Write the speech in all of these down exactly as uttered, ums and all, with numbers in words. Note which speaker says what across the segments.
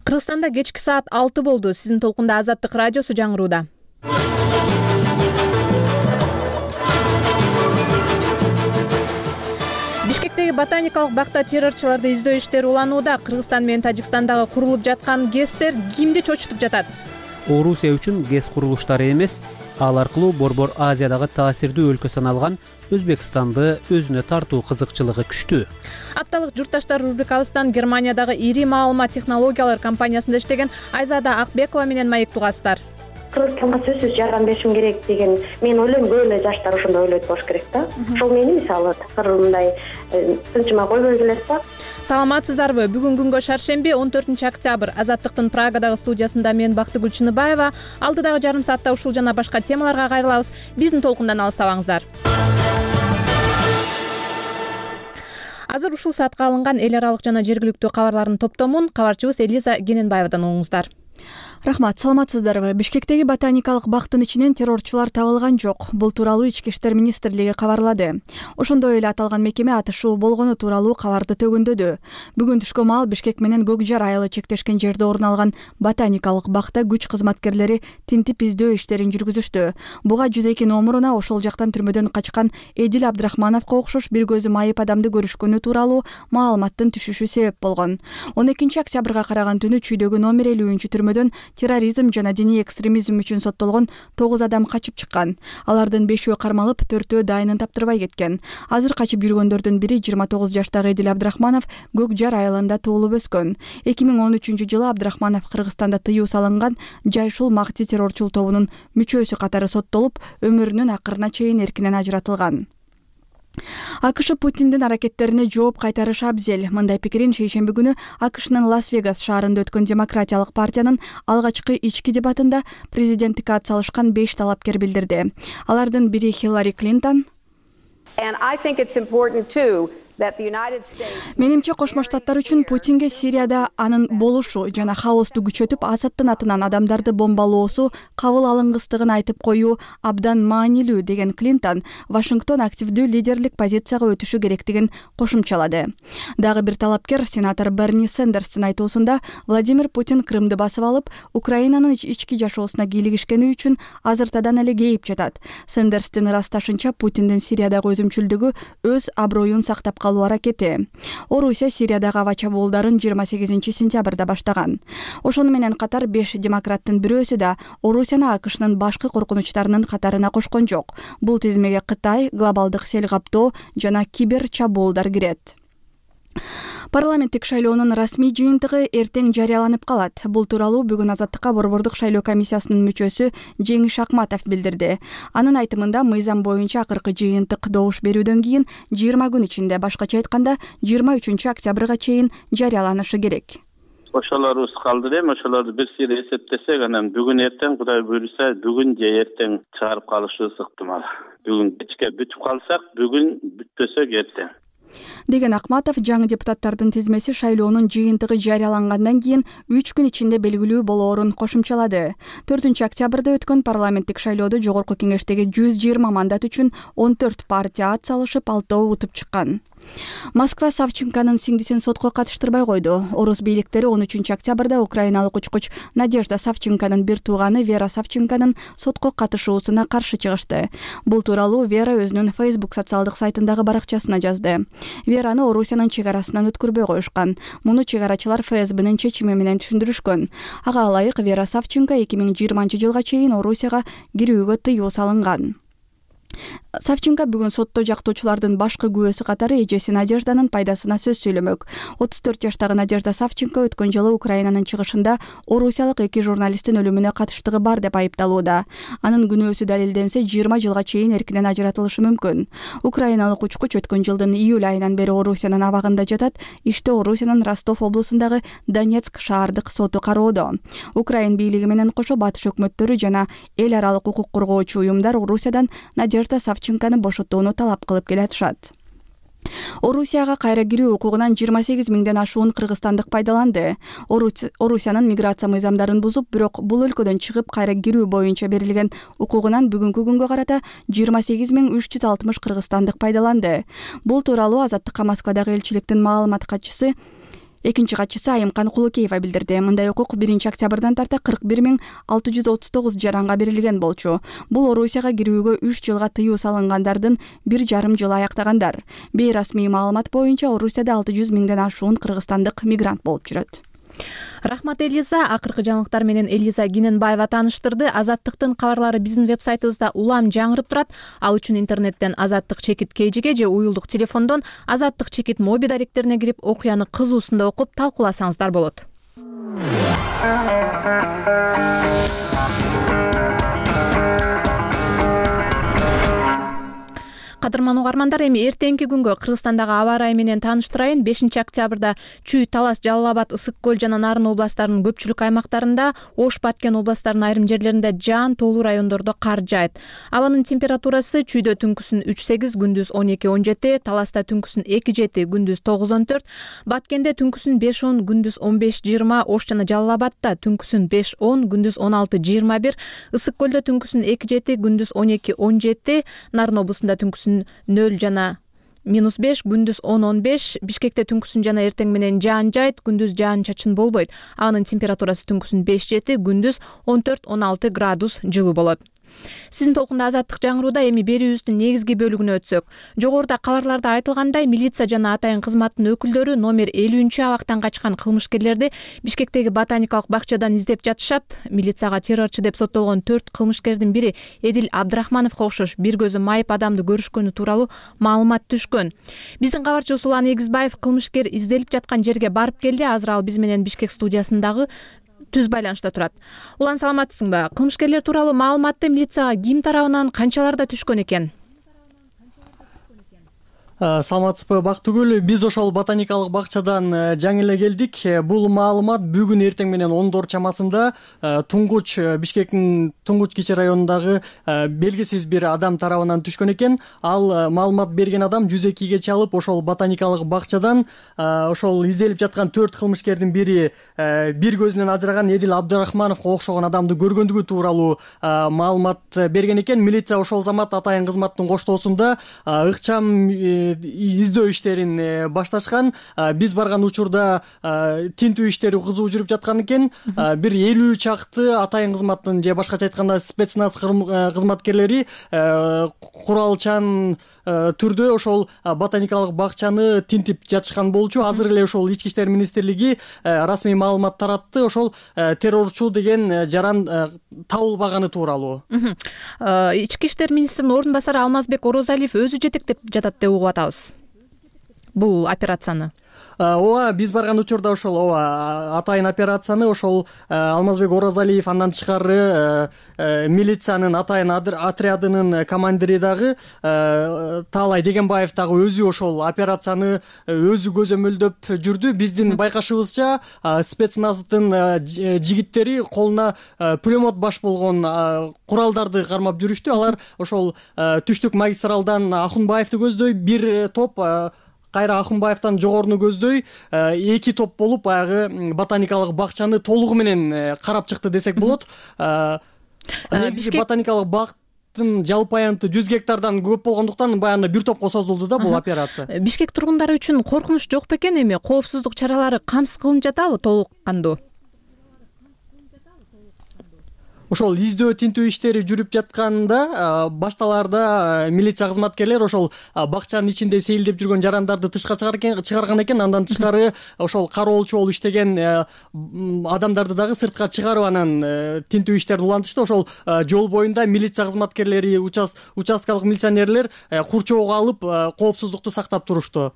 Speaker 1: Кыргызстанда кечки саат алты болду. Сиздин толкунда Азаттык радиосу жаңырууда. Бишкектеги ботаникалык бакта террорчуларды издөө иштери уланууда. Кыргызстан менен Тажикстандагы курулуп жаткан ГЭСтер кимди чочутуп жатат?
Speaker 2: Орусия үчүн ГЭС курулуштары эмес, ал аркылуу Борбор Азиядагы таасирдүү өлкө саналган Өзбекстанды өзүнө тартуу кызыкчылыгы күчтүү.
Speaker 1: Апталык журтташтар рубрикабыздан Германиядагы ири маалымат технологиялар компаниясында иштеген Айзада Акбекова менен маек тугасыздар.
Speaker 3: Кыргызстанга сөзсүз жардам беришим керек деген мен ойлойм, көп эле жаштар ошондой ойлойт болуш керек да. Ошол мени мисалы такыр мындай тынчыма койбой келет да.
Speaker 1: Саламатсыздарбы? Бүгүн күнгө шаршемби он төртүнчү октябрь. Азаттыктын Прагадагы студиясында мен Бактыгүл Чыныбаева. Алдыдагы жарым саатта ушул жана башка темаларга кайрылабыз. Биздин толкундан алыстабаңыздар. Азыр ушул саатка алынган эл аралык жана жергиликтүү кабарлардын топтомун кабарчыбыз Элиза Гененбаевадан угуңуздар.
Speaker 4: Рахмат, саламатсыздарбы? Бишкектеги ботаникалык бактын ичинен террорчулар табылган жок. Бул тууралуу Ички иштер министрлиги кабарлады. Ошондой эле аталган мекеме атышуу болгону тууралуу кабарды төгүндөдү. Бүгүн түшкө маал Бишкек менен Көк Жар айылы чектешкен жерде орун алган ботаникалык бакта күч кызматкерлери тинтип издөө иштерин жүргүзүштү. Буга жүз эки номуруна ошол жактан түрмөдөн качкан Эдил Абдрахмановго окшош бир көзү майып адамды көрүшкөнү тууралуу маалыматтын түшүшү себеп болгон. он экинчи октябрга караган түнү Чүйдөгү номер элүүнчү түрмөдөн терроризм жана диний экстремизм үчүн соттолгон тогуз адам качып чыккан. Алардын бешөө кармалып, төртөө дайынын таптырбай кеткен. Азыр качып жүргөндөрдүн бири жыйырма тогуз жаштагы Эдил Абдрахманов Көк Жар айылында туулуп өскөн. эки миң он үчүнчү жылы Абдрахманов Кыргызстанда тыюу салынган Жайшул Макти террорчул тобунун мүчөсү катары соттолуп, өмүрүнүн акырына чейин эркинен ажыратылган. АКШ Путиндин аракеттерине жооп кайтарышы абзел. Мындай пикирин шейшемби күнү АКШнын Лас-Вегас шаарында өткөн Демократиялык партиянын алгачкы ички дебатында президенттикке ат салышкан беш талапкер билдирди. Алардын бири Хиллари Клинтон. Менимче Кошмо Штаттар үчүн Путинге Сирияда анын болушу жана хаосту күчөтүп, Асадтын атынан адамдарды бомбалоосу кабыл алынгыстыгын айтып коюу абдан маанилүү деген Клинтон Вашингтон активдүү лидерлик позицияга өтүшү керектигин кошумчалады. Дагы бир талапкер сенатор Берни Сендерстин айтуусунда Владимир Путин Крымды басып алып, Украинанын ички жашоосуна кийлигишкени үчүн азыртадан эле кейип жатат. Сендерстин ырасташынча Путиндин Сириядагы өзүмчүлдүгү өз аброюн сактап калуу аракети. Орусия Сириядагы аба чабуулдарын жыйырма сегизинчи сентябрда баштаган. Ошону менен катар беш демократтын бирөөсү да Орусияны АКШнын башкы коркунучтарынын катарына кошкон жок. Бул тизмеге Кытай, глобалдык сел каптоо жана кибер чабуулдар кирет. Парламенттик шайлоонун расмий жыйынтыгы эртең жарыяланып калат. Бул тууралуу бүгүн Азаттыкка Борбордук шайлоо комиссиясынын мүчөсү Жеңиш Акматов билдирди. Анын айтымында мыйзам боюнча акыркы жыйынтык добуш берүүдөн кийин жыйырма күн ичинде, башкача айтканда жыйырма үчүнчү октябрга чейин жарыяланышы керек.
Speaker 5: Ошолорубуз калды эми, ошолорду бир сыйра эсептесек, анан бүгүн эртең Кудай буйруса, бүгүн же эртең чыгарып калышыбыз ыктымал. Бүгүн кечке бүтүп калсак, бүгүн бүтпөсөк эртең
Speaker 4: деген Акматов жаңы депутаттардын тизмеси шайлоонун жыйынтыгы жарыялангандан кийин үч күн ичинде белгилүү болоорун кошумчалады. төртүнчү октябрда өткөн парламенттик шайлоодо жогорку кеңештеги жүз жыйырма мандат үчүн он төрт партия ат салышып, алтоо утуп чыккан. Москва Савченконун сиңдисин сотко катыштырбай койду. Орус бийликтери он үчүнчү октябрда украиналык учкуч Надежда Савченконун бир тууганы Вера Савченконун сотко катышуусуна каршы чыгышты. Бул тууралуу Вера өзүнүн Facebook социалдык сайтындагы баракчасына жазды. Вераны Орусиянын чек арасынан өткөрбөй коюшкан. Муну чек арачылар ФСБнын чечими менен түшүндүрүшкөн. Ага ылайык Вера Савченко эки миң жыйырманчы жылга чейин Орусияга кирүүгө тыюу салынган. Савченко бүгүн сотто жактоочулардын башкы күбөсү катары эжеси Надежданын пайдасына сөз сүйлөмөк. отуз төрт жаштагы Надежда Савченко өткөн жылы Украинанын чыгышында орусиялык эки журналисттин өлүмүнө катыштыгы бар деп айыпталууда. Анын күнөөсү далилденсе, жыйырма жылга чейин эркинен ажыратылышы мүмкүн. Украиналык учкуч өткөн жылдын июль айынан бери Орусиянын абагында жатат. Иште Орусиянын Ростов облусундагы Донецк шаардык соту кароодо. Украин бийлиги менен кошо батыш өкмөттөрү жана эл аралык укук коргоочу уюмдар Орусиядан Надежда Савченкону бошотууну талап кылып келатышат. Орусияга кайра кирүү укугунан жыйырма сегиз миңден ашуун кыргызстандык пайдаланды. Орусиянын миграция мыйзамдарын бузуп, бирок бул өлкөдөн чыгып кайра кирүү боюнча берилген укугунан бүгүнкү күнгө карата жыйырма сегиз миң үч жүз алтымыш кыргызстандык пайдаланды. Бул тууралуу Азаттыкка Москвадагы элчиликтин маалымат катчысы экинчи катчысы Айымкан Кулукеева билдирди. Мындай укук биринчи октябрдан тарта кырк бир миң алты жүз отуз тогуз жаранга берилген болчу. Бул Орусияга кирүүгө үч жылга тыюу салынгандардын бир жарым жылы аяктагандар. Бейрасмий маалымат боюнча Орусияда алты жүз миңден ашуун кыргызстандык мигрант болуп жүрөт.
Speaker 1: Рахмат Элиза. Акыркы жаңылыктар менен Элиза Гиненбаева тааныштырды. Азаттыктын кабарлары биздин веб-сайтыбызда улам жаңырып турат. Ал үчүн интернеттен Азаттык чекит кейжиге же уюлдук телефондон Азаттык чекит моби даректерине кирип окуяны кызуусунда окуп талкууласаңыздар болот. Кадырман угармандар, эми эртеңки күнгө Кыргызстандагы аба ырайы менен тааныштырайын. бешинчи октябрда Чүй, Талас, Жалал Абад, Ысык көл жана Нарын областарынын көпчүлүк аймактарында, Ош, Баткен областарынын айрым жерлеринде жаан тоолуу райондордо кар жаайт. Абанын температурасы Чүйдө түнкүсүн үч сегиз, күндүз он эки он жети, Таласта түнкүсүн эки жети, күндүз тогуз он төрт, Баткенде түнкүсүн беш он, күндүз он беш жыйырма, Ош жана Жалал Абадта түнкүсүн беш он, күндүз он алты жыйырма бир, Ысык көлдө түнкүсүн эки жети, күндүз он эки он жети, Нарын облусунда түнкүсүн нөл жана минус беш, күндүз он он беш, Бишкекте түнкүсүн жана эртең менен жаан жайт, күндүз жаан чачын болбойт. Анын температурасы түнкүсүн беш жети, күндүз он төрт он алты градус жылуу болот. Сиздин толкунда Азаттык жаңырууда. Эми берүүбүздүн негизги бөлүгүнө өтсөк. Жогоруда кабарларда айтылгандай, милиция жана атайын кызматтын өкүлдөрү номер элүүнчү абактан качкан кылмышкерлерди Бишкектеги ботаникалык бакчадан издеп жатышат. Милицияга террорчу деп соттолгон төрт кылмышкердин бири Эдил Абдрахмановго окшош бир көзү майып адамды көрүшкөнү тууралуу маалымат түшкөн. Биздин кабарчыбыз Улан Эгизбаев кылмышкер изделип жаткан жерге барып келди. Азыр ал биз менен Бишкек студиясындагы түз байланышта турат. Улан, саламатсыңбы? Кылмышкерлер тууралуу маалыматты милицияга ким тарабынан канчаларда түшкөн экен?
Speaker 6: Саламатсызбы Бактыгүл, биз ошол ботаникалык бакчадан жаңы эле келдик. Бул маалымат бүгүн эртең менен ондор чамасында Туңгуч, Бишкектин Туңгуч кичи районундагы белгисиз бир адам тарабынан түшкөн экен. Ал маалымат берген адам жүз экиге чалып, ошол ботаникалык бакчадан ошол изделип жаткан төрт кылмышкердин бири бир көзүнөн ажыраган Эдил Абдрахмановго окшогон адамды көргөндүгү тууралуу маалымат берген экен. Милиция ошол замат атайын кызматтын коштоосунда ыкчам издөө иштерин башташкан. Биз барган учурда тинтүү иштери кызуу жүрүп жаткан экен. Бир элүү чакты атайын кызматтын же башкача айтканда спецназ кызматкерлери куралчан түрдө ошол ботаникалык бакчаны тинтип жатышкан болчу. Азыр эле ошол Ички иштер министрлиги расмий маалымат таратты. Ошол террорчу деген жаран табылбаганы тууралуу.
Speaker 1: Ички иштер министринин ордун басары Алмазбек Орозалиев өзү жетектеп жатат деп угуп атабыз бул операцияны.
Speaker 6: Ооба, биз барган учурда ошол ооба атайын операцияны ошол Алмазбек Орозалиев, андан тышкары милициянын атайын отрядынын командири дагы Таалай Дегенбаев дагы өзү ошол операцияны өзү көзөмөлдөп жүрдү. Биздин байкашыбызча спецназдын жигиттери колуна пулемет баш болгон куралдарды кармап жүрүштү. Алар ошол түштүк магистралдан Ахунбаевди көздөй бир топ, кайра Ахунбаевтан жогоруну көздөй эки топ болуп баягы ботаникалык бакчаны толугу менен карап чыкты десек болот. Негизи ботаникалык бактын жалпы аянты жүз гектардан көп болгондуктан баягы бир топко созулду да бул операция.
Speaker 1: Бишкек тургундары үчүн коркунуч жок бекен? Эми коопсуздук чаралары камсыз кылынып жатабы толук кандуу?
Speaker 6: Ошол издөө тинтүү иштери жүрүп жатканда башталарда милиция кызматкерлер ошол бакчанын ичинде сейилдеп жүргөн жарандарды тышка чыгарган экен. Андан тышкары ошол кароолчу болуп иштеген адамдарды дагы сыртка чыгарып анан тинтүү иштерин улантышты. Ошол жол боюнда милиция кызматкерлери, участкалык милиционерлер курчоого алып коопсуздукту сактап турушту.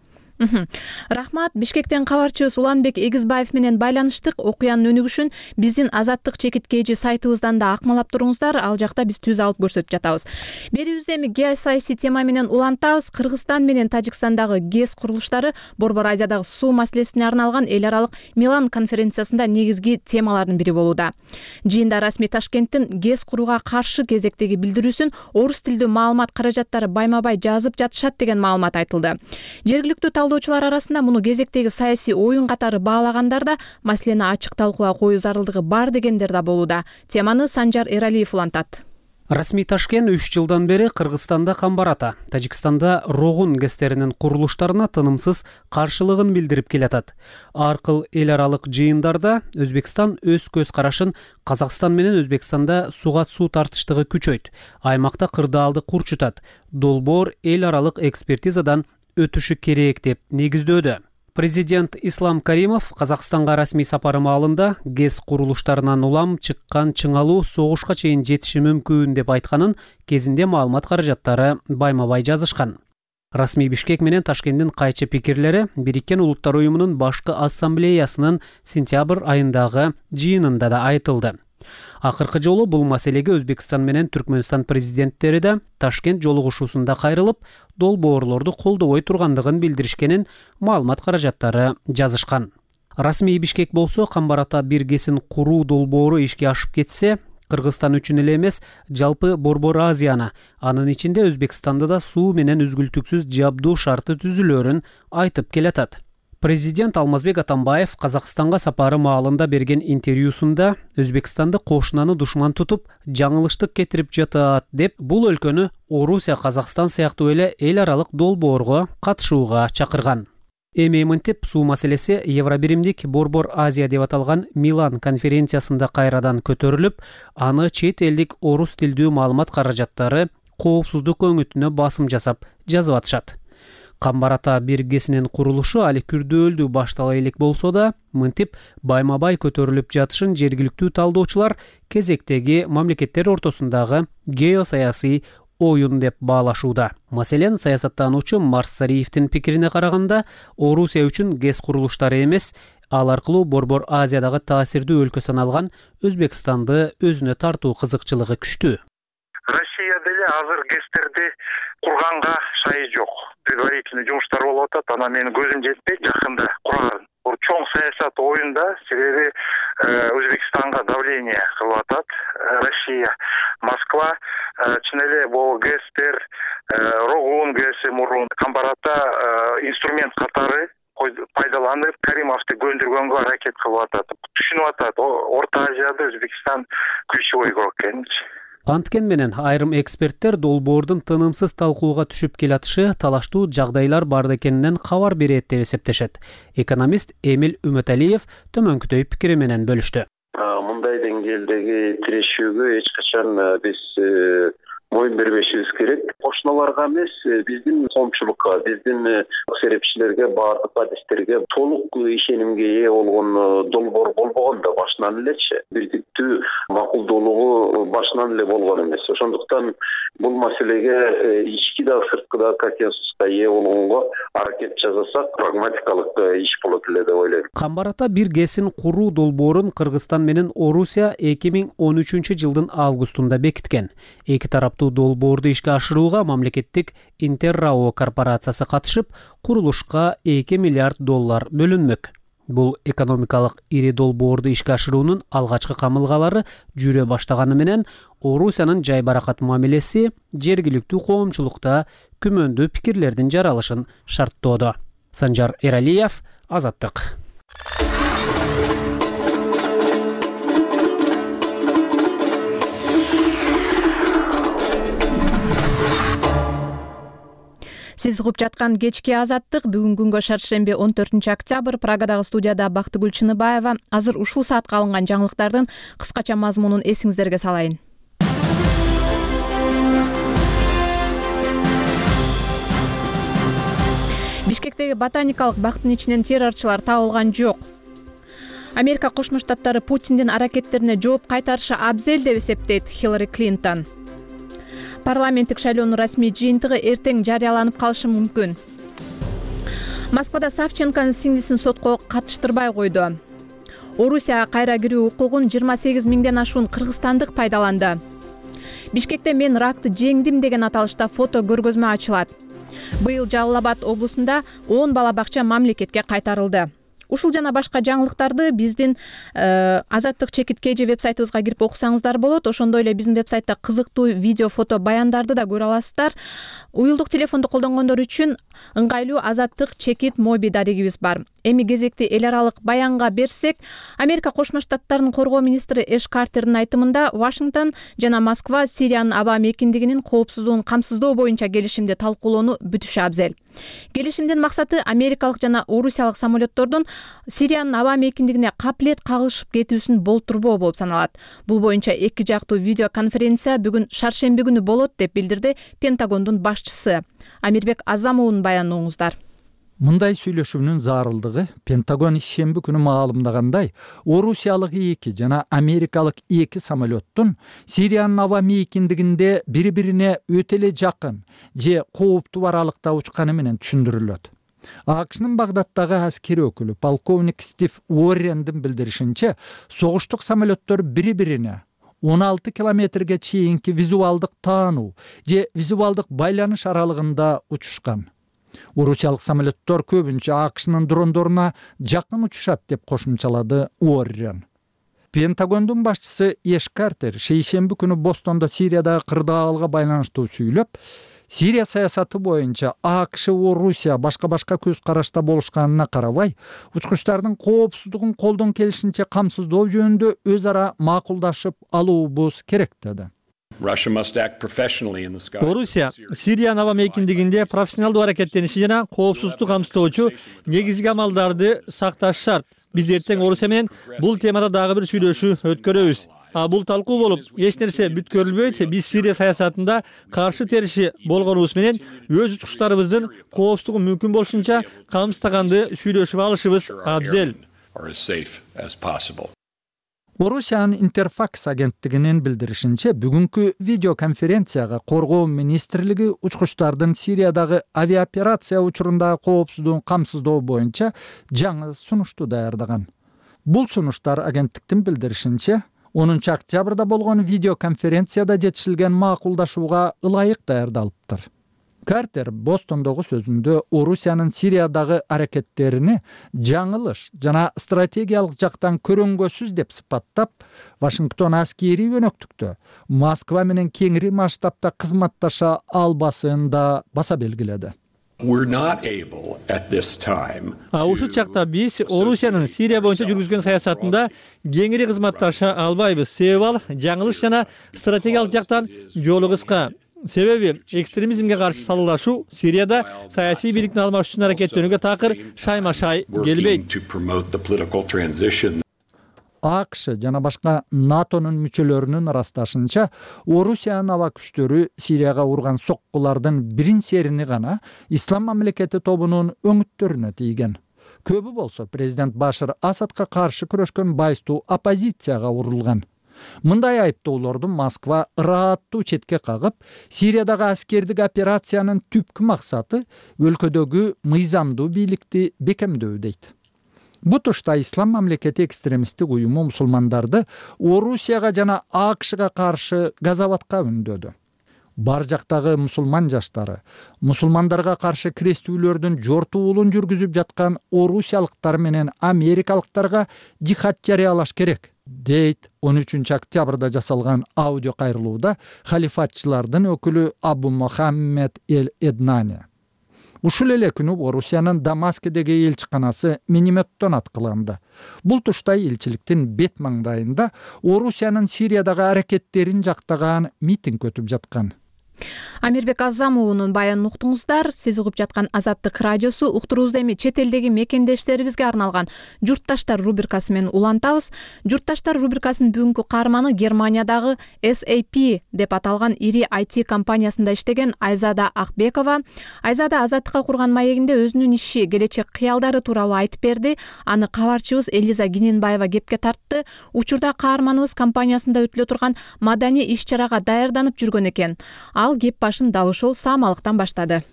Speaker 1: Рахмат. Бишкектен кабарчыбыз Уланбек Эгизбаев менен байланыштык. Окуянын өнүгүшүн биздин Азаттык чекит кейжи сайтыбыздан да акмалап туруңуздар. Ал жакта биз түз алып көрсөтүп жатабыз. Берүүбүздө эми геосаясий тема менен улантабыз. Кыргызстан менен Тажикстандагы ГЭС курулуштары Борбор Азиядагы суу маселесине арналган эл аралык Милан конференциясында негизги темалардын бири болууда. Жыйында расмий Ташкенттин ГЭС курууга каршы кезектеги билдирүүсүн орус тилдүү маалымат каражаттары байма-бай жазып жатышат деген маалымат айтылды. Жергиликтүү талдоочулар арасында муну кезектеги саясий оюн катары баалагандар да маселени ачык талкууга коюу зарылдыгы бар дегендер да болууда. Теманы Санжар Эралиев улантат.
Speaker 2: Расмий Ташкент үч жылдан бери Кыргызстанда Камбар-Ата, Тажикстанда Рогун гэстеринин курулуштарына тынымсыз каршылыгын билдирип келатат. Аркыл эл аралык жыйындарда Өзбекстан өз көз карашын Казакстан менен Өзбекстанда суга суу тартыштыгы күчөйт, аймакта кырдаалды курчутат, долбоор эл аралык экспертизадан өтүшү керек деп негиздөөдө. Президент Ислам Каримов Казакстанга расмий сапары маалында ГЭС курулуштарынан улам чыккан чыңалуу согушка чейин жетиши мүмкүн деп айтканын кезинде маалымат каражаттары байма-бай жазышкан. Расмий Бишкек менен Ташкенттин кайчы пикирлери Бириккен Улуттар уюмунун башкы ассамблеясынын сентябрь айындагы жыйынында да айтылды. Акыркы жолу бул маселеге Өзбекстан менен Түркмөнстан президенттери да Ташкент жолугушуусунда кайрылып, долбоорлорду колдобой тургандыгын билдиришкенин маалымат каражаттары жазышкан. Расмий Бишкек болсо Камбар-Ата бир ГЭСин куруу долбоору ишке ашып кетсе, Кыргызстан үчүн эле эмес, жалпы Борбор Азияны, анын ичинде Өзбекстанды да суу менен үзгүлтүксүз жабдуу шарты түзүлөөрүн айтып келатат. Президент Алмазбек Атамбаев Казакстанга сапары маалында берген интервьюсунда Өзбекстанды кошунаны душман тутуп, жаңылыштык кетирип жатат деп, бул өлкөнү Орусия, Казакстан сыяктуу эле эл аралык долбоорго катышууга чакырган. Эми мынтип суу маселеси Евробиримдик Борбор Азия деп аталган Милан конференциясында кайрадан көтөрүлүп, аны чет элдик орус тилдүү маалымат каражаттары коопсуздук өңүтүнө басым жасап жазып атышат. Камбар-Ата бир ГЭСинин курулушу али күрдөөлдүү баштала элек болсо да, мынтип байма-бай көтөрүлүп жатышын жергиликтүү талдоочулар кезектеги мамлекеттер ортосундагы геосаясий оюн деп баалашууда. Маселен, саясаттануучу Марс Сариевдин пикирине караганда, Орусия үчүн ГЭС курулуштары эмес, ал аркылуу Борбор Азиядагы таасирдүү өлкө саналган Өзбекстанды өзүнө тартуу кызыкчылыгы күчтүү.
Speaker 7: Россия деле азыр ГЭСтерди курганга шайы жок. Предварительный жумуштар болуп атат, анан менин көзүм жетпейт жакында курган. Бул чоң саясат оюнда, себеби Өзбекстанга давление кылып атат Россия. Москва чын эле бул ГЭСтер, Рогун ГЭСи мурун Камбар-Ата инструмент катары пайдаланып, Каримовду көндүргөнгө аракет кылып атат. Түшүнүп атат, Орто Азияда Өзбекстан ключевой игрок экенин.
Speaker 2: Анткен менен айрым эксперттер долбоордун тынымсыз талкууга түшүп келатышы талаштуу жагдайлар бар экенинен кабар берет деп эсептешет. Экономист Эмил Үмөталиев төмөнкүдөй пикири менен бөлүштү.
Speaker 8: Мындай деңгээлдеги тирешүүгө эч качан биз моюн бербешибиз керек. Кошуналарга эмес, биздин коомчулукка, биздин серепчилерге, баардык адистерге толук ишенимге ээ болгон долбоор болбогон да башынан элечи. Бирдиктүү макулдуулугу башынан эле болгон эмес. Ошондуктан бул маселеге ички да сырткы да консенсуска ээ болгонго аракет жасасак, прагматикалык иш болот эле деп ойлойм.
Speaker 2: Камбар-Ата бир ГЭСин куруу долбоорун Кыргызстан менен Орусия эки миң он үчүнчү жылдын августунда бекиткен. Эки тараптуу долбоорду ишке ашырууга мамлекеттик Интеррао корпорациясы катышып, курулушка эки миллиард доллар бөлүнмөк. Бул экономикалык ири долбоорду ишке ашыруунун алгачкы камылгалары жүрө баштаганы менен Орусиянын жай баракат мамилеси жергиликтүү коомчулукта күмөндүү пикирлердин жаралышын шарттоодо. Санжар Эралиев, Азаттык.
Speaker 1: Сиз угуп жаткан кечки Азаттык бүгүн күнгө шаршемби он төртүнчү октябрь Прагадагы студияда Бактыгүл Чыныбаева. Азыр ушул саатка алынган жаңылыктардын кыскача мазмунун эсиңиздерге салайын. Бишкектеги ботаникалык бактын ичинен террорчулар табылган жок. Америка Кошмо Штаттары Путиндин аракеттерине жооп кайтарышы абзел деп эсептейт Хиллари Клинтон. Парламенттик шайлоонун расмий жыйынтыгы эртең жарыяланып калышы мүмкүн. Москвада Савченконун сиңдисин сотко катыштырбай койду. Орусияга кайра кирүү укугун жыйырма сегиз миңден ашуун кыргызстандык пайдаланды. Бишкекте мен ракты жеңдим деген аталышта фото көргөзмө ачылат. Быйыл Жалал Абад облусунда он бала бакча мамлекетке кайтарылды. Ушул жана башка жаңылыктарды биздин Азаттык чекит kg вебсайтыбызга кирип окусаңыздар болот. Ошондой эле биздин вебсайтта кызыктуу видео, фото, баяндарды да көрө аласыздар. Уюлдук телефонду колдонгондор үчүн ыңгайлуу Азаттык чекит моби дарегибиз бар. эми кезекти эл аралык баянга берсек, Америка Кошмо Штаттарынын коргоо министри Эш Картердин айтымында Вашингтон жана Москва Сириянын аба мейкиндигинин коопсуздугун камсыздоо боюнча келишимди талкуулоону бүтүшү абзел. Келишимдин максаты америкалык жана орусиялык самолеттордун Сириянын аба мейкиндигине капилет кагылышып кетүүсүн болтурбоо болуп саналат. Бул боюнча эки жактуу видеоконференция бүгүн шаршемби күнү болот деп билдирди Пентагондун башчысы. Амирбек Азамовдун баянын оңуздар.
Speaker 9: Мындай сүйлөшүүнүн зарылдыгы Пентагон ишемби күнү маалымдагандай, орусиялык эки жана америкалык эки самолеттун Сириянын аба мейкиндигинде бири-бирине өтө эле жакын же кооптуу аралыкта учканы менен түшүндүрүлөт. АКШнын Багдаддагы аскери өкүлү полковник Стив Уоррендин билдиришинче, согуштук самолеттор бири-бирине он алты километрге чейинки визуалдык таануу же визуалдык байланыш аралыгында учушкан. Орусиялык самолеттор көбүнчө АКШнын дрондоруна жакын учушат деп кошумчалады Уоррен. Пентагондун башчысы Эш Картер шейшемби күнү Бостондо Сириядагы кырдаалга байланыштуу сүйлөп, Сирия саясаты боюнча АКШ, Орусия башка-башка көз карашта болушканына карабай, учкучтардын коопсуздугун колдон келишинче камсыздоо жөнүндө өз ара макулдашып алуубуз керек деди.
Speaker 10: Орусия Сириянын аба мейкиндигинде профессионалдуу аракеттениши жана коопсуздукту камсыздоочу негизги амалдарды сакташ шарт. Биз эртең Орусия менен бул темада дагы бир сүйлөшүү өткөрөбүз. А бул талкуу болуп, эч нерсе бүткөрүлбөйт. Биз Сирия саясатында каршы териши болгонубуз менен өз учкучтарыбыздын коопсуздугун мүмкүн болушунча камсыздаганды сүйлөшүп алышыбыз абзел.
Speaker 9: Орусиянын Интерфакс агенттигинин билдиришинче, бүгүнкү видеоконференцияга коргоо министрлиги учкучтардын Сириядагы авиаоперация учурундагы коопсуздугун камсыздоо боюнча жаңы сунушту даярдаган. Бул сунуштар агенттиктин билдиришинче, онунчу октябрда болгон видеоконференцияда жетишилген макулдашууга ылайык даярдалыптыр. Картер Бостондогу сөзүндө Орусиянын Сириядагы аракеттерини жаңылыш жана стратегиялык жактан көрөнгөсүз деп сыпаттап, Вашингтон аскери өнөктүктө Москва менен кеңири масштабта кызматташа албасын да баса белгиледи.
Speaker 10: Ушул чакта биз Орусиянын Сирия боюнча жүргүзгөн саясатында кеңири кызматташа албайбыз. Себеби ал жаңылыш жана стратегиялык жактан жолу кыска. Себеби экстремизмге каршы салуулашуу Сирияда саясий бийликтин алмашуусун аракеттенүүгө такыр шайма-шай келбейт.
Speaker 9: АКШ жана башка НАТОнун мүчөлөрүнүн ырасташынча, Орусиянын аба күчтөрү Сирияга урган соккулардын бирин серини гана Ислам мамлекети тобунун өңүттөрүнө тийген. Көбү болсо президент Башар Асадка каршы күрөшкөн байстуу оппозицияга урулган. Мындай айыптоолорду Москва ырааттуу четке кагып, Сириядагы аскердик операциянын түпкү максаты өлкөдөгү мыйзамдуу бийликти бекемдөө дейт. Бу тушта Ислам мамлекети экстремисттик уюму мусулмандарды Орусияга жана АКШга каршы газаватка үндөдү. Бар жактагы мусулман жаштары мусулмандарга каршы крестүүлөрдүн жортуулун жүргүзүп жаткан орусиялыктар менен америкалыктарга жихад жарыялаш керек, дейт он үчүнчү октябрда жасалган аудио кайрылууда халифатчылардын өкүлү Абу Мухаммед эль Эднани. Ушул эле күнү Орусиянын Дамаскедеги элчиканасы минометтон аткыланды. Бул тушта элчиликтин бет маңдайында Орусиянын Сириядагы аракеттерин жактаган митинг өтүп жаткан.
Speaker 1: Амирбек Азамовдун баянын уктуңуздар. Сиз угуп жаткан Азаттык радиосу. Уктуруубузда эми чет элдеги мекендештерибизге арналган Журтташтар рубрикасы менен улантабыз. Журтташтар рубрикасынын бүгүнкү каарманы Германиядагы эс эй пи деп аталган ири ай ти компаниясында иштеген Айзада Акбекова. Айзада Азаттыкка курган маегинде өзүнүн иши, келечек кыялдары тууралуу айтып берди. Аны кабарчыбыз Элиза Гиненбаева кепке тартты. Учурда каарманыбыз компаниясында өтүлө турган маданий иш-чарага даярданып жүргөн экен. Ал кеп башын дал ушул Саамалыктан баштады.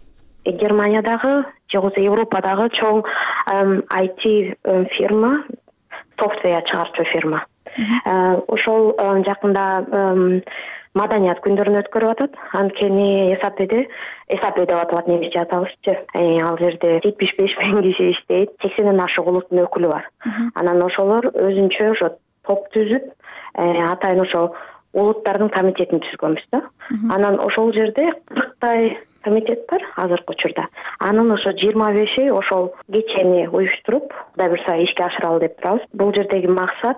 Speaker 3: Германиядагы же болбосо Европадагы чоң ай ти фирма, софтвер чыгарчу фирма. Ошол жакында маданият күндөрүн өткөрүп атат. Анткени эсапеде эсапе деп аталат, немисче аталышчы. Ал жерде жетимиш беш миң киши иштейт, сексенден ашык улуттун өкүлү бар. Анан ошолор өзүнчө ошо топ түзүп, атайын ошо улуттардын комитетин түзгөнбүз да. Анан ошол жерде кырктай комитет бар азыркы учурда. Анын ошо жыйырма беши ошол кечени уюштуруп, Кудай буюрса ишке ашыралы деп турабыз. Бул жердеги максат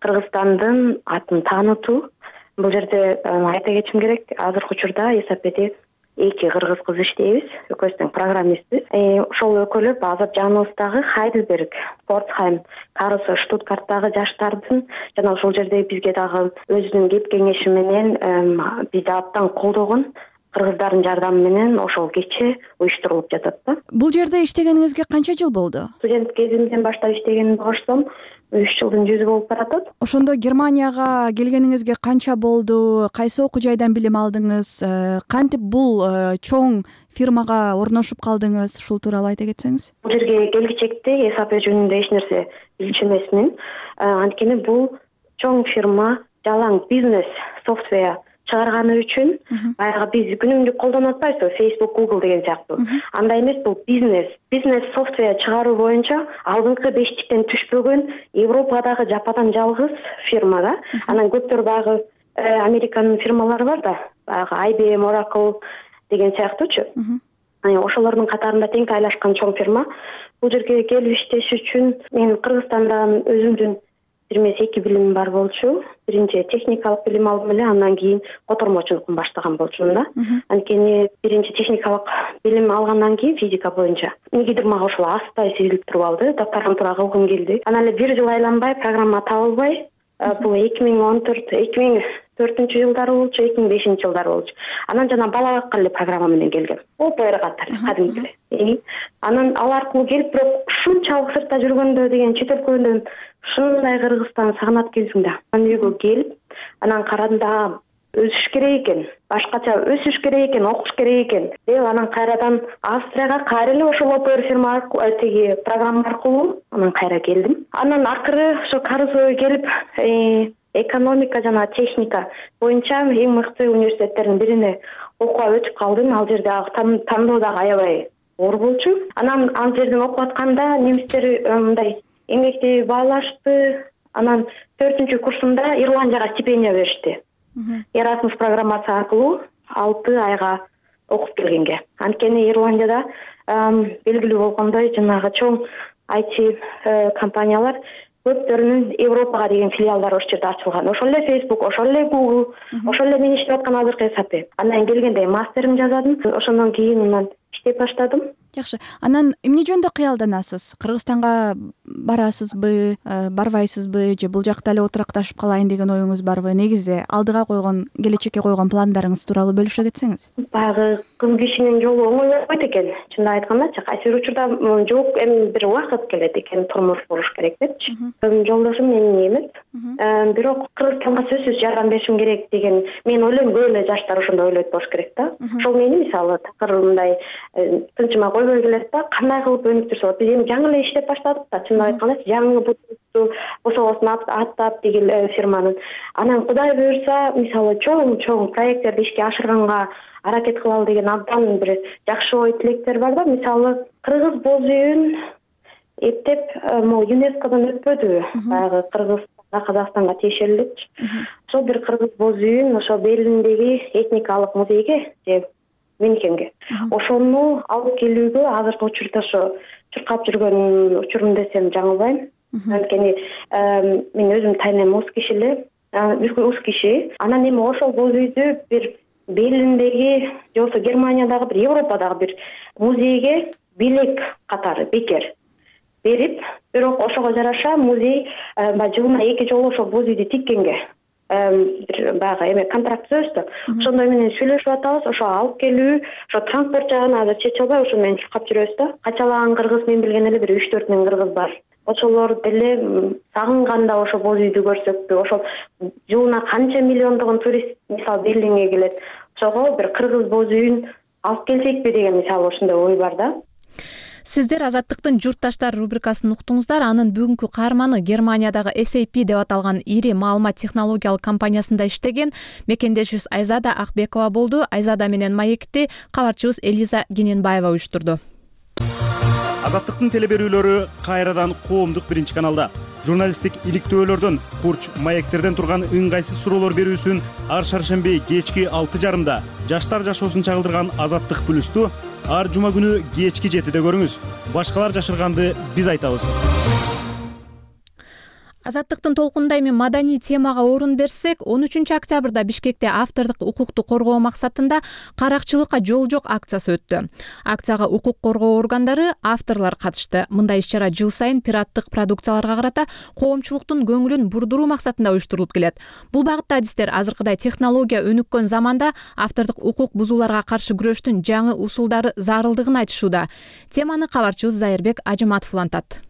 Speaker 3: Кыргызстандын атын таанытуу. Бул жерде айта кетишим керек, азыркы учурда эсапети эки кыргыз кыз иштейбиз, экөөбүз тең программистпиз. Ошол экөөлөп азыр жаныбыздагы Хайдельберг, Портхайм, Карлсруhe, Штутгарттагы жаштардын жана ошол жерде бизге дагы өзүнүн кеп кеңеши менен бизди абдан колдогон кыргыздардын жардамы менен ошол кече уюштурулуп жатат да.
Speaker 4: Бул жерде иштегениңизге канча жыл болду?
Speaker 3: Студент кезимден баштап иштегенимди кошсом, үч жылдын жүзү болуп баратат.
Speaker 4: Ошондо Германияга келгениңизге канча болду? Кайсы окуу жайдан билим алдыңыз? Кантип бул чоң фирмага орношуп калдыңыз? Ушул тууралуу айта кетсеңиз.
Speaker 3: Бул жерге келгичекте эсап жөнүндө эч нерсе билчү эмесмин. Анткени бул чоң фирма жалаң бизнес софтвер чыгарганы үчүн баягы биз күнүмдүк колдонуп атпайбызбы, Facebook, Google деген сыяктуу. Андай эмес, бул бизнес. Бизнес софтвер чыгаруу боюнча алдыңкы бештиктен түшпөгөн Европадагы жападан жалгыз фирма да. Анан көптөр баягы Американын фирмалары бар да, баягы I B M, Oracle деген сыяктуучу. Ошолордун катарында тең тайлашкан чоң фирма. Бул жерге келип иштеш үчүн мен Кыргызстандан өзүмдүн бир эмес эки билимим бар болчу. Биринчи техникалык билим алдым эле, андан кийин котормочулукун баштаган болчумун да. Анткени биринчи техникалык билим алгандан кийин физика боюнча эмнегедир мага ошол астай сезилип туруп алды, докторантура кылгым келди. Анан эле бир жыл айланбай, программа табылбай, бул эки миң он төрт эки миң төртүнчү жылдары болчу, эки миң бешинчи жылдары болчу. Анан жана бала баккан эле программа менен келгем. ОПР катары кадимки эле. Анан ал аркылуу келип, бирок ушунчалык сыртта жүргөндө деген чет өлкөдөн ушундай Кыргызстан сагынат келсиң да. Анан үйгө келип, анан карадым өсүш керек экен, башкача өсүш керек экен, окуш керек экен деп анан кайрадан Австрияга кайра эле ошол ОПР фирма аркылуу, тиги программа аркылуу анан кайра келдим. Анан акыры ошо Карлсруhe келип, экономика жана техника боюнча эң мыкты университеттердин бирине окууга өтүп калдым. Ал жерде тандоо дагы аябай оор болчу. Анан ал жерден окуп атканда немистер мындай эмгекти баалашты. Анан төртүнчү курсумда Ирландияга стипендия беришти. Erasmus программасы аркылуу алты айга окуп келгенге. Анткени Ирландияда белгилүү болгондой жанагы чоң I T компаниялар көптөрүнүн Европага деген филиалдары ошол жерде ачылган. Ошол эле Facebook, ошол эле Google, ошол эле мен иштеп аткан азыркы эсапи. Андан келгенде мастерим жазадым. Ошондон кийин анан иштеп баштадым.
Speaker 4: Жакшы. Анан эмне жөнүндө кыялданасыз? Кыргызстанга барасызбы, барбайсызбы, же бул жакта эле отуракташып калайын деген оюңуз барбы? Негизи алдыга койгон, келечекке койгон пландарыңыз тууралуу бөлүшө кетсеңиз.
Speaker 3: Баягы кыз кишинин жолу оңой болбойт экен. Чындап айткандачы, кайсы бир учурда жок, эми бир убакыт келет экен, турмуш куруш керек депчи. Жолдошум менин эмес. Бирок Кыргызстанга сөзсүз жардам беришим керек деген мен ойлойм, көп эле жаштар ошондой ойлойт болуш керек да. Ошол мени мисалы такыр мындай тынчыма койбой келет да, кандай кылып өнүктүрсө болот. Биз эми жаңы эле иштеп баштадык да, чындап айтканда жаңы буту босогосун аттап деген фирманын. Анан Кудай буюрса, мисалы чоң-чоң проекттерди ишке ашырганга аракет кылалы деген абдан бир жакшы ой тилектер бар да. Мисалы Кыргыз боз үйүн эптеп могу ЮНЕСКОдон өтпөдү. Баягы Кыргызстанга, Казакстанга тиешеличи. Ошол бир Кыргыз боз үйүн ошо Берлиндеги этникалык музейге же Мюнхенге. Ошону алып келүүгө азыркы учурда ошо чуркап жүргөн учурум десем жаңылбайм. Анткени мен өзүм тайнем уз киши эле, уз киши. Анан эми ошол боз үйдү бир Берлиндеги же болбосо Германиядагы бир Европадагы бир музейге белек катары бекер берип, бирок ошого жараша музей жылына эки жолу ошол боз үйдү тиккенге баягы эме контракт түзөбүз. Ошондой менен сүйлөшүп атабыз. Ошо алып келүү, ошо транспорт жагын азыр чече албай, ошо менен чуркап жүрөбүз да. Качалаган кыргыз мен билген эле бир үч төрт миң кыргыз бар. Ошолор деле сагынганда ошо боз үйдү көрсөкпү. Ошо жылына канча миллиондогон турист мисалы Берлинге келет. Ошого бир кыргыз боз үйүн алып келсекпи деген мисалы ошондой ой бар да.
Speaker 1: Сиздер Азаттыктын журтташтар рубрикасын уктуңуздар. Анын бүгүнкү каарманы Германиядагы эс эй пи деп аталган ири маалымат технологиялык компаниясында иштеген мекендешибиз Айзада Акбекова болду. Айзада менен маекти кабарчыбыз Элиза Гененбаева уюштурду.
Speaker 11: Азаттыктын телеберүүлөрү кайрадан коомдук биринчи каналда. журналисттик иликтөөлөрдөн, курч маектерден турган ыңгайсыз суроолор берүүсүн ар шаршемби кечки алты жарымда жаштар жашоосун чагылдырган Азаттык плюсту ар жума күнү кечки жетиде көрүңүз. Башкалар жашырганды биз айтабыз.
Speaker 1: Азаттыктын толкунунда эми маданий темага орун берсек, он үчүнчү октябрда Бишкекте автордук укукту коргоо максатында каракчылыкка жол жок акциясы өттү. Акцияга укук коргоо органдары, авторлор катышты. Мындай иш-чара жыл сайын пираттык продукцияларга карата коомчулуктун көңүлүн бурдуруу максатында уюштурулуп келет. Бул багытта адистер азыркыдай технология өнүккөн заманда автордук укук бузууларга каршы күрөштүн жаңы усулдары зарылдыгын айтышууда. Теманы кабарчыбыз Зайырбек Ажыматов улантат.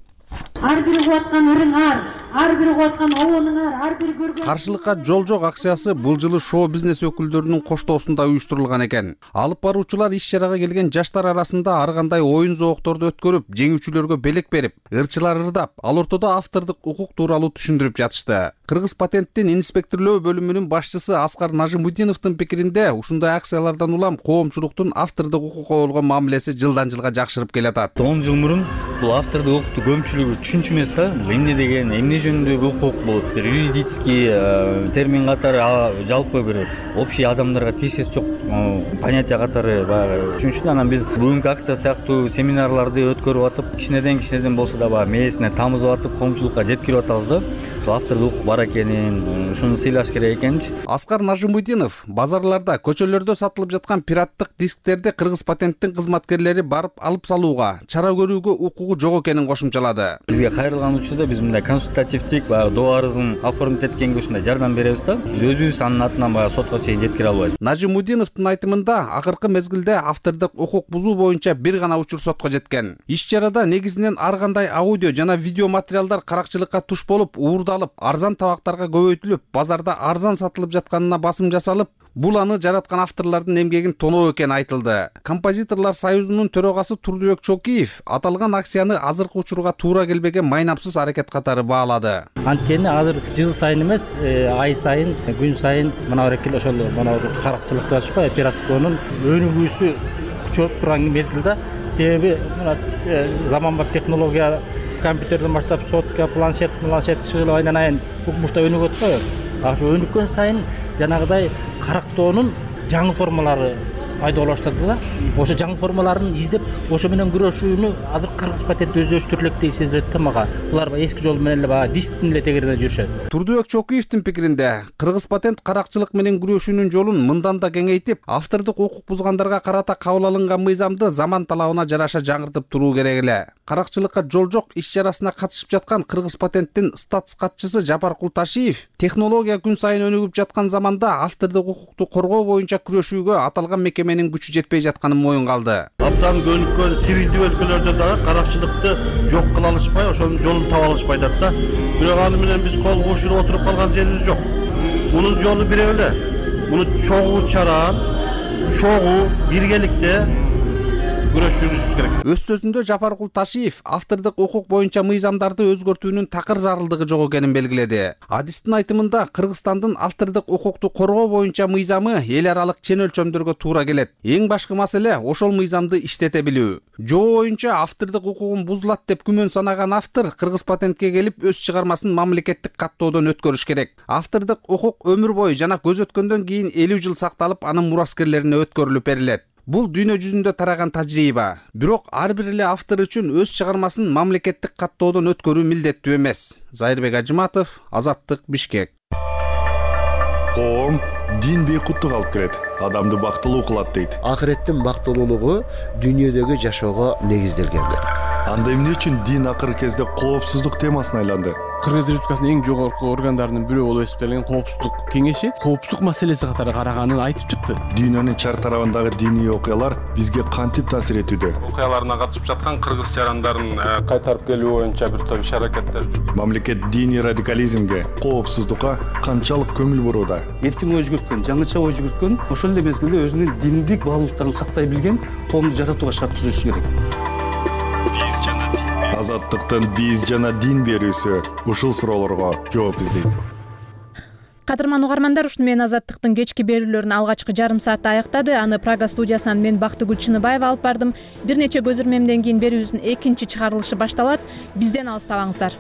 Speaker 12: Ар бири угаткан ырыңар, ар бири угаткан обонуңар, ар бири көргөн
Speaker 13: каршылыкка жол жок акциясы бул жылы шоу бизнес өкүлдөрүнүн коштоосунда уюштурулган экен. Алып баруучулар иш-чарага келген жаштар арасында ар кандай оюн зоокторду өткөрүп, жеңүүчүлөргө белек берип, ырчылар ырдап, ал ортодо автордук укук тууралуу түшүндүрүп жатышты. Кыргыз патенттин инспекторлоо бөлүмүнүн башчысы Аскар Нажимудиновдун пикиринде, ушундай акциялардан улам коомчулуктун автордук укукка болгон мамилеси жылдан жылга жакшырып келатат.
Speaker 14: он жыл мурун бул автордук укукту көпчүлүгү түшүнчү эмес да. Бул эмне деген, эмне жөнүндөгү укук, бул бир юридический термин катары, жалпы бир общий адамдарга тиешеси жок понятие катары баягы түшүнүшүн. Анан биз бүгүнкү акция сыяктуу семинарларды өткөрүп атып, кичинеден кичинеден болсо да баягы мээсине тамызып атып, коомчулукка жеткирип атабыз да. Ошо автордук укук бар экенин, ушуну сыйлаш керек экенчи.
Speaker 13: Аскар Нажимудинов базарларда, көчөлөрдө сатылып жаткан пираттык дисктерди Кыргыз патенттин кызматкерлери барып алып салууга, чара көрүүгө укугу жок экенин кошумчалады.
Speaker 14: Бизге кайрылган учурда биз мындай консультативдик баягы доо арызын оформить эткенге ушундай жардам беребиз да. Биз өзүбүз анын атынан баягы сотко чейин жеткире албайбыз.
Speaker 13: Нажимудиновдун айтымында, акыркы мезгилде автордук укук бузуу боюнча бир гана учур сотко жеткен. Иш-чарада негизинен ар кандай аудио жана видео материалдар каракчылыкка туш болуп, уурдалып, арзан табактарга көбөйтүлүп, базарда арзан сатылып жатканына басым жасалып, бул аны жараткан авторлордун эмгегин тоноо экени айтылды. Композиторлор союзунун төрагасы Турдубек Чокиев аталган акцияны азыркы учурга туура келбеген майнапсыз аракет катары баалады.
Speaker 14: Анткени азыр жыл сайын эмес, ай сайын, күн сайын мына эркел ошол мына каракчылыкты ачпай, пиратствонун өнүгүүсү күчөп турган мезгилде, себеби мына заманбап технология, компьютерден баштап сотка, планшет, планшет чыгылып айнан айын укмушта өнүгөт го. Ошо өнүккөн сайын жанагыдай карактоонун жаңы формалары пайда боло баштады да. Ошо жаңы формаларын издеп, ошо менен күрөшүүнү азыр Кыргыз патент өздөштүрө электей сезилет да мага. Булар эски жол менен эле баягы дисктин эле тегерине жүрүшөт.
Speaker 13: Турдубек Чокиевдин пикиринде, Кыргыз патент каракчылык менен күрөшүүнүн жолун мындан да кеңейтип, автордук укук бузгандарга карата кабыл алынган мыйзамды заман талабына жараша жаңыртып туруу керек эле. Каракчылыкка жол жок иш-чарасына катышып жаткан Кыргыз патенттин статс катчысы Жапар Култашиев, технология күн сайын өнүгүп жаткан заманда автордук укукту коргоо боюнча күрөшүүгө аталган мекеменин күчү жетпей жатканын моюнга алды.
Speaker 15: Абдан көнүккөн сирилдүү өлкөлөрдө дагы каракчылыкты жок кыла алышпай, ошонун жолун таба алышпай атат да. Бирок аны менен биз кол кошуп отуруп калган жерибиз жок. Мунун жолу бирөө эле. Муну чогуу чара, чогуу биргеликте күрөшүшүбүз керек.
Speaker 13: Өз сөзүндө Жапар Култашиев автордук укук боюнча мыйзамдарды өзгөртүүнүн такыр зарылдыгы жок экенин белгиледи. Адистин айтымында, Кыргызстандын автордук укукту коргоо боюнча мыйзамы эл аралык чен өлчөмдөргө туура келет. Эң башкы маселе ошол мыйзамды иштете билүү. Жоо боюнча автордук укугун бузулат деп күмөн санаган автор Кыргыз патентке келип өз чыгармасын мамлекеттик каттоодон өткөрүш керек. Автордук укук өмүр бою жана көз өткөндөн кийин элүү жыл сакталып, анын мураскерлерине өткөрүлүп берилет. Бул дүйнө жүзүндө тараган тажрыйба. Бирок ар бир эле автор үчүн өз чыгармасын мамлекеттик каттоодон өткөрүү милдеттүү эмес. Зайырбек Ажыматов, Азаттык, Бишкек.
Speaker 16: Коом дин бейкуттук алып келет, адамды бактылуу кылат дейт.
Speaker 17: Акыреттин бактылуулугу дүйнөдөгү жашоого негизделген.
Speaker 16: Анда эмне үчүн дин акыркы кезде коопсуздук темасына айланды?
Speaker 18: Кыргыз Республикасынын эң жогорку органдарынын бирөө болуп эсептелген коопсуздук кеңеши коопсуздук маселеси катары караганын айтып чыкты.
Speaker 16: Дүйнөнүн чар тарабындагы диний окуялар бизге кантип таасир этүүдө?
Speaker 15: Окуяларына катышып жаткан кыргыз жарандарын кайтарып келүү боюнча бир топ иш-аракеттер.
Speaker 16: Мамлекет диний радикализмге, коопсуздукка канчалык көңүл бурууда?
Speaker 19: Эркин ой жүгүрткөн, жаңыча ой жүгүрткөн, ошол эле мезгилде өзүнүн диндик баалуулуктарын сактай билген коомду жаратууга шарт түзүш керек.
Speaker 16: Азаттыктын биз жана дин берүүсү ушул суроолорго жооп издейт.
Speaker 1: Кадырман угармандар, ушуну менен Азаттыктын кечки берүүлөрүн алгачкы жарым саатта аяктады. Аны Прага студиясынан мен Бактыгүл Чыныбаева алып бардым. Бир нече көзөрмемден кийин берүүбүздүн экинчи чыгарылышы башталат. Бизден алыстабаңыздар.